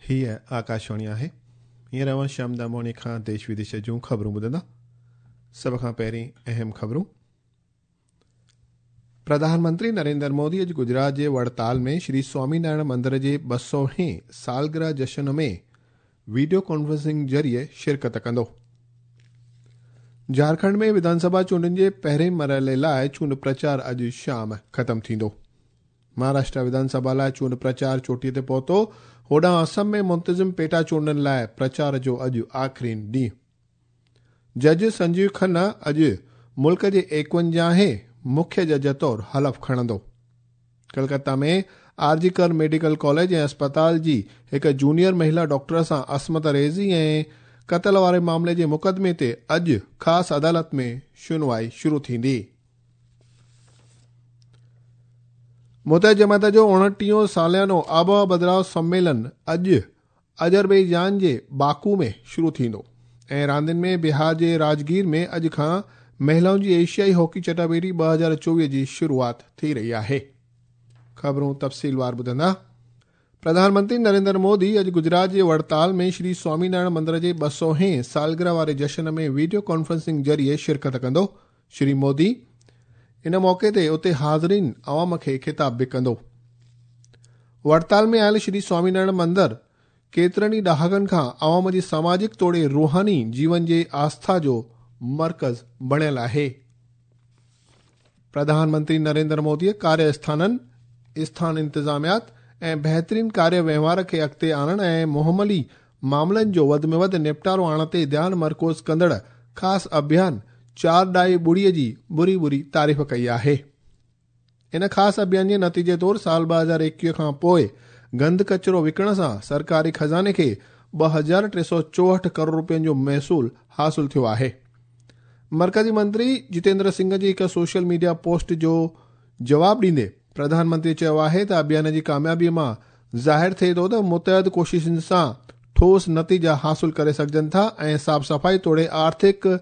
هيء آڪاشواڻي آهي. هينئر اوهان شيام دامواڻي کان ديش وديش جون خبرون ٻڌندا. سڀ کان پهرين اهم خبرون. پرڌان منتري نريندر مودي اڄ گجرات جي وڙتال ۾ شري سوامي نارائڻ مندر جي ٻه سؤ هين سالگرهه جشن ۾ وڊيو ڪانفرنسنگ ذريعي شرڪت ڪندو. جهارکنڊ ۾ وڌانسڀا چونڊن جي پهرين مرحلي لاء چونڊ پرچار اڄ شام ختم ٿيندو. مهاراشٽرا وڌانسڀا لاء چونڊ پرچار چوٽي تي پهتو، هوڏانهن آسم ۾ منتظم پيٽا چونڊن لاء پرچار جو اڄ آخرين ڏينهن. جج سنجيو کنا اڄ ملڪ جي ايڪونجاهين مکيه جج طور حلف کڻندو. Calcutta ۾ R G Kar medical college ۽ اسپتال جي هڪ جونيئر مهيلا ڊاڪٽر سان عصمت ريزي ۽ قتل واري معاملي جي مقدمي تي اڄ خاص عدالت ۾ شنوائي شروع ٿيندي. متحده جماعت جو اوڻٽيهون ساليانو آبهوا بدلاء سميلن اڄ آذربائيجان جي باڪو ۾ شروع ٿيندو ۽ راندين ۾ بهار جي راجگير ۾ اڄ کان مهلائن جي ايشيائي هاڪي چٽاڀيٽي 2024 جي شروعات ٿي رهي آهي. خبرون تفصيلوار ٻڌندا. پرڌان منتري نريندر مودي اڄ گجرات جي وڙتال ۾ شري سوامي نارائڻ مندر جي ٻه سؤ هين سالگرهه واري جشن ۾ وڊيو ڪانفرنسنگ ذريعي شرڪت ڪندو. شري مودي ان موقعي تي اتي حاضرين عوام کي خطاب به ڪندو. وڙتال ۾ آيل شري سوامي نارائڻ مندر ڪيترن ئي ڏهاڪن کان عوام جي سماجڪ توڙي روحاني جيون جي آسٿا جو مرڪز بڻيل آهي. پرڌان منتري نريندر موديء ڪاريه اسٿانن، اسٿان انتظاميات ۽ بهترين ڪاريه وهنوار کي اڳتي آڻڻ ۽ مهملي معاملن جو وڌ ۾ وڌ نپٽارو آڻڻ تي ڌيان مرڪوز ڪندڙ خاص اڀيان چار ڏائي ٻڙي جي بري بري تعريف ڪئي آهي. ان خاص اڀيان جي نتيجي طور سال 2021 کان پوء گند ڪچرو وڪڻڻ سان سرڪاري خزاني کي 2364 ڪروڙ روپين جو محصول حاصل ٿيو آهي. مرڪزي منتري جتيندر سنگهه جي هڪ سوشل ميڊيا پوسٽ جو جواب ڏيندي پرڌان منتري چيو آهي ته اڀيان جي ڪاميابي مان ظاهر ٿئي ٿو ته متحد ڪوششن سان ٺوس نتيجا حاصل ڪري سگهجن ٿا ۽ صاف صفائي توڙي آرٿڪ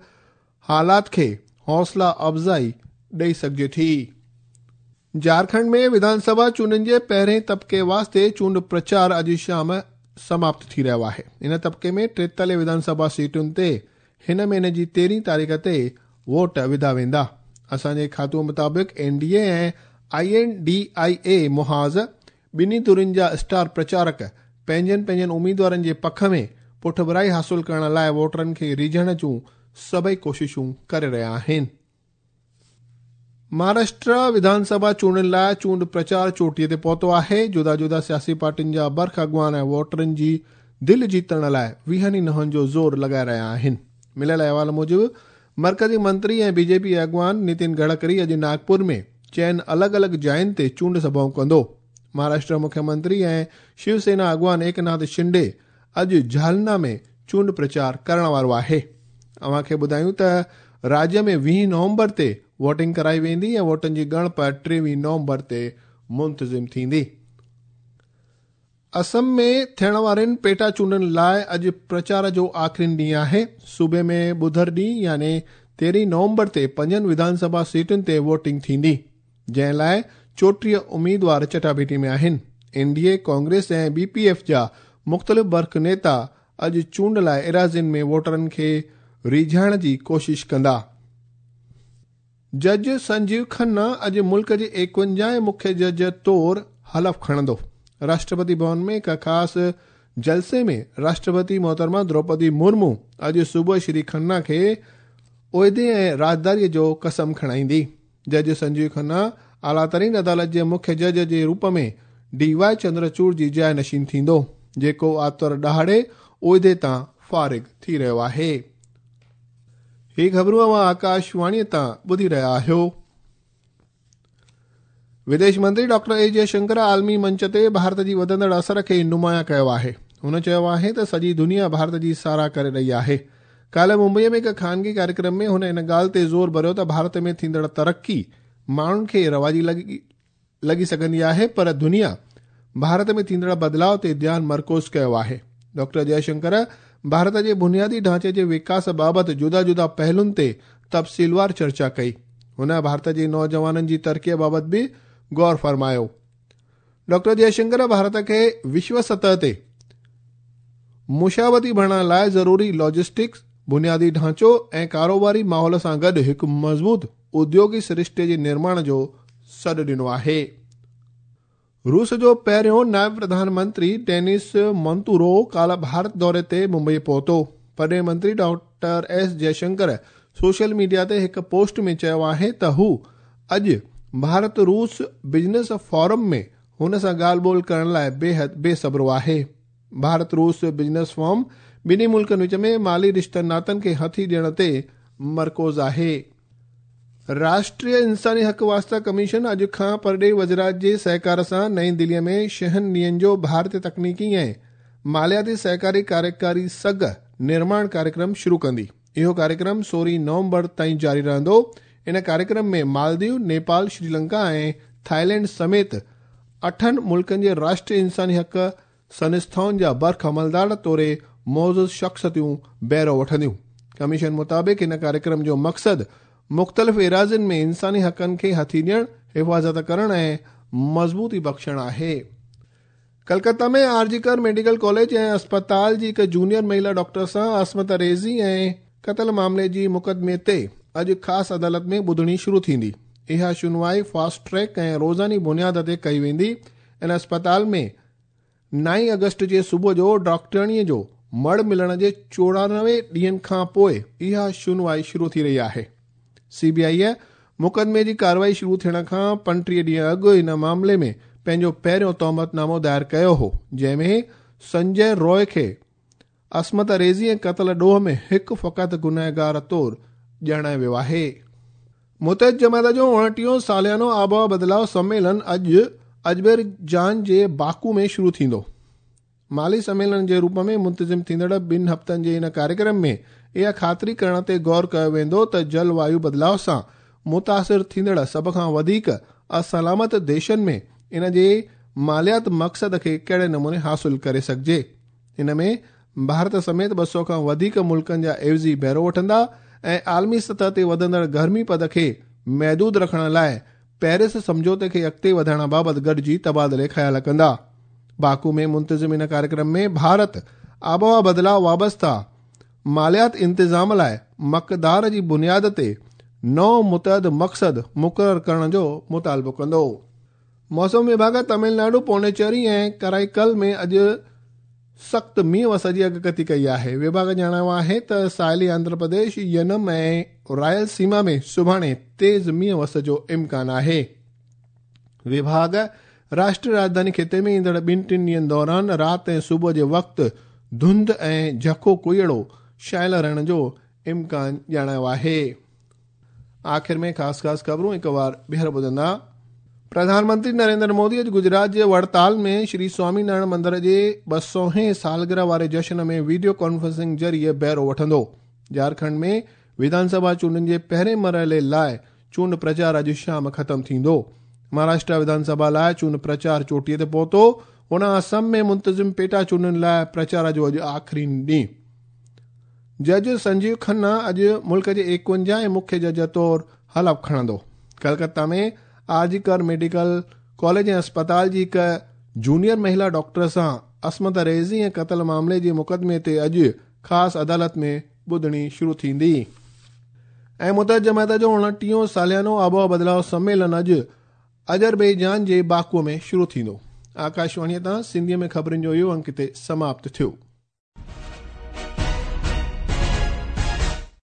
حالات کي حوصلا افزائي ڏئي سگهجي ٿي. جهارکنڊ ۾ وڌان سڀا چونڊن جي پهرين طبقي واسطي چونڊ پرچار اڄ شام سماپت ٿي رهيو آهي. ان طبقي ۾ ٽيتاليهه وڌان سڀا سيٽن تي هن مهيني جي تيرهين تاريخ تي ووٽ وڌا ويندا. اسان جي کاتو مطابق N D A ۽ I N D I A محاذ ٻنهي ڌرين جا اسٽار پرچارڪ پنهنجن پنهنجن اميدوارن جي پک ۾ پٺڀرائي حاصل ڪرڻ لاء ووٽرن کي ريجهڻ جون سڀئي ڪوششون ڪري رهيا آهن. مهاراشٽرا وڌان سڀا چونڊن لاء چونڊ پرچار چوٽيء تي پهتو آهي. جدا جدا سياسي پارٽين جا برک اڳواڻ ووٽرن جي دل جيتڻ لاء ويهن ئي نهن جو زور لڳائي رهيا آهن. مليل احوال موجب مرڪزي منتري ۽ بي جي پي اڳواڻ نتين گڊڪري اڄ ناگپور ۾ چئن الڳ الڳ جاين تي چونڊ سڀائون ڪندو. مهاراشٽر مکيه منتري ۽ شيو سينا اڳواڻ ايڪناٿ شنڊي اڄ جهالنا ۾ چونڊ پرچار ڪرڻ وارو آهي. اوهان کي ٻڌايون ته راجيه ۾ 20 نومبر تي ووٽنگ ڪرائي ويندي ۽ ووٽن جي ڳڻپ 23 نومبر تي منتظم ٿيندي. اسم ۾ ٿيڻ وارين پيٽا چونڊن لاء اڄ پرچار جو آخرين ڏينهن آهي. صوبي ۾ ٻڌر ڏينهن يعني 13 نومبر تي پنجن وڌان سڀا سيٽن تي ووٽنگ ٿيندي. جنهن لاء 34 اميدوار چٽاڀيٽي ۾ آهن. N D A, Congress ۽ B P F جا مختلف برک نيتا اڄ چونڊ لاء ايراضين ۾ ووٽرن کي ريجهائڻ جي ڪوشش ڪندا. جج سنجيو کنا اڄ ملڪ جي ايڪونجاهين مکيه جج طور حلف کڻندو. راشٽرپتي ڀون ۾ هڪ خاص جلسي ۾ راشٽرپتي محترمه دروپدي مرمو اڄ صبح شري کنا کي عهدي ۽ رازداري جو قسم کڻائيندي. جج سنجيو کنا اعليٰ ترين عدالت جي مکيه جج جي روپ ۾ ڊي وائي چندرچوڙ جي جاء نشين ٿيندو، جيڪو آتوار ڏهاڙي عهدي تان فارغ ٿي رهيو آهي. هي خبرون اوهان آڪاشواڻيء تان ٻڌي رهيا آهيو. وديش منتري ڊاڪٽر اي جي شنڪر عالمي منچ تي ڀارت جي وڌندڙ اثر کي نمايان ڪيو آهي. هن چيو آهي ته سڄي دنيا ڀارت جي ساراهه ڪري رهي آهي. ڪالهه ممبئي ۾ هڪ خانگي ڪاريڪرم ۾ هن ان ڳالهه تي زور ڀريو ته ڀارت ۾ ٿيندڙ ترقي ماڻهن کي رواجي لڳي سگهندي آهي پر دنيا ڀارت ۾ ٿيندڙ بدلاء تي ڌيان مرڪوز ڪيو آهي. ڊاڪٽر جئه شنڪر ڀارت جي بنيادي ڍانچي جي وڪاس بابت جدا جدا پهلن تي تفصيلوار چرچا ڪئي. هن ڀارت جي نوجوانن جي ترقي بابت به غور فرمايو. ڊاڪٽر جئه شنڪر ڀارت کي وشو سطح تي مشابهتي بڻائڻ لاء ضروري لاجسٽڪس، بنيادي ڍانچو ۽ ڪاروباري ماحول سان گڏ هڪ مضبوط اديوگي سرشتي جي نرماڻ جو سڏ ڏنو آهي. روس جو پهريون نائب پرڌان منتري ڊينس مانتورو ڪالهه ڀارت دوري تي ممبئي پهتو. پرڏيهي منتري doctor S Jaishankar social media تي هڪ پوسٽ ۾ چيو آهي ته هو اڄ ڀارت روس بزنس فورم ۾ هن سان ڳالهه ٻولهه ڪرڻ لاء بيحد بي صبرو آهي. ڀارت روس بزنس فورم ٻنهي ملڪن وچ ۾ مالي رشتن ناتن کي هٿي ڏيڻ تي مرڪوز آهي. راشٽريه انساني حق واسطا ڪميشن اڄ کان پرڏيهي وزارت جي سهڪار سان نئين دلي ۾ ڇهن ڏينهن جو ڀارتي تڪنيڪي ۽ مالياتي سهڪاري ڪاريڪاري سگهه نرماڻ ڪاريڪرم شروع ڪندي. اهو ڪاريڪرم 16 نومبر تائين جاري رهندو. ان ڪاريڪرم ۾ مالديو، نيپال، شريلنڪا ۽ ٿائيلينڊ سميت 8 ملڪن جي راشٽريه انساني حق سنسٿائن جا برک عملدار توڙي معزز شخصيتون بهرو وٺنديون. ڪميشن مطابق هن ڪاريڪرم جو مقصد مختلف ايراضين ۾ انساني حقن کي هٿي ڏيڻ، حفاظت ڪرڻ ۽ مضبوطي بخشڻ آهي. Calcutta ۾ R G Kar medical college ۽ اسپتال جي هڪ جونيئر مهيلا ڊاڪٽر سان عصمت ريزي ۽ قتل معاملي جي مقدمي تي اڄ خاص عدالت ۾ ٻڌڻي شروع ٿيندي. اها شنوائي فاسٽ ٽريڪ ۽ روزاني بنياد تي ڪئي ويندي. ان اسپتال ۾ 9 آگسٽ جي صبح جو ڊاڪٽرياڻيء جو مڙهه ملڻ جي 94 ڏينهن کان پوء اها شنوائي شروع ٿي رهي آهي. سي بي آء مقدمي جي ڪارروائي شروع ٿيڻ کان 35 ڏينهن اڳ ان معاملي ۾ پنهنجو پهريون تهمت نامو دائر ڪيو هو، جنهن ۾ سنجي روء کي عصمت ريزي ۽ قتل ڏوهه ۾ هڪ فقط گنهگار طور ڄاڻايو ويو آهي. متحد جماعت جو 29ون ساليانو آبهوا بدلاء سميلن اڄ اذربائيجان جي باڪو ۾ شروع ٿيندو. مالي سميلن جي روپ ۾ منتظم ٿيندڙ 2 هفتن جي ان ڪاريڪرم ۾ اها خاطري ڪرڻ تي غور ڪيو ويندو ته جل وايو بدلاء سان متاثر ٿيندڙ سڀ کان وڌيڪ اسلامت ديشن ۾ ان جي ماليات مقصد کي ڪهڙي نموني حاصل ڪري سگهجي. ان ۾ ڀارت سميت 200 کان وڌيڪ ملڪن جا عيوضي بهرو وٺندا ۽ عالمي سطح تي وڌندڙ گرمي پد کي محدود رکڻ لاء پيرس سمجهوتي کي اڳتي وڌائڻ بابت گڏجي تبادلي خيال ڪندا. باڪو ۾ منتظم ان ڪاريڪرم ۾ ڀارت آبهوا بدلاء وابسته ماليات انتظام لاء مقدار جي بنياد تي نئون متحد مقصد مقرر ڪرڻ جو مطالبو ڪندو. موسم وڀاڳ تامل ناڊو، پونڊيچيري ۽ ڪرائيڪل ۾ اڄ سخت مينهن وس جي اڳڪٿي ڪئي آهي. وڀاڳ ڄاڻايو آهي ته ساحلي آنڌرا پرديش، ينم ۽ رائل سيما ۾ سڀاڻي تيز مينهن وس جو امڪان آهي. وڀاڳ راشٽريه راڄڌاني خطي ۾ ايندڙ 2-3 ڏينهن دوران رات ۽ صبح جي وقت ڌنڌ ۽ جهڪو ڪوهيڙو شايل رهڻ جو امڪان ڄاڻايو آهي. آخر ۾ خاص خاص خبرون هڪ وار ٻيهر ٻڌندا. پرڌان منتري نريندر مودي اڄ گجرات جي وڙتال ۾ شري سوامي نارائڻ مندر جي 200هين سالگرهه واري جشن ۾ ويڊيو ڪانفرنسنگ ذريعي بهرو وٺندو. جهارکنڊ ۾ وڌان سڀا چونڊن جي پهرين مرحلي لاء چونڊ پرچار اڄ شام ختم ٿيندو. مهاراشٽرا وڌان سڀا لاء چونڊ پرچار چوٽيء تي پهتو. هن آسام ۾ منتظم پيٽا چونڊن لاء پرچار جو اڄ آخرين ڏينهن. جج سنجيو کنا اڄ ملڪ جي 51 ۽ مکيه جج طور حلف کڻندو. Calcutta ۾ R G Kar medical college ۽ اسپتال جي هڪ جونيئر مهيلا ڊاڪٽر سان عصمت ريزي ۽ قتل معاملي جي مقدمي تي اڄ خاص عدالت ۾ ٻڌڻي شروع ٿيندي. ۽ متحد جماعت جو 29ون ساليانو آبهوا بدلاء سميلن اڄ اذربائيجان جي باڪو ۾ شروع ٿيندو. آڪاشواڻيء تان سنڌيء ۾ خبرن جو اهو انڪ هتي سماپت ٿيو.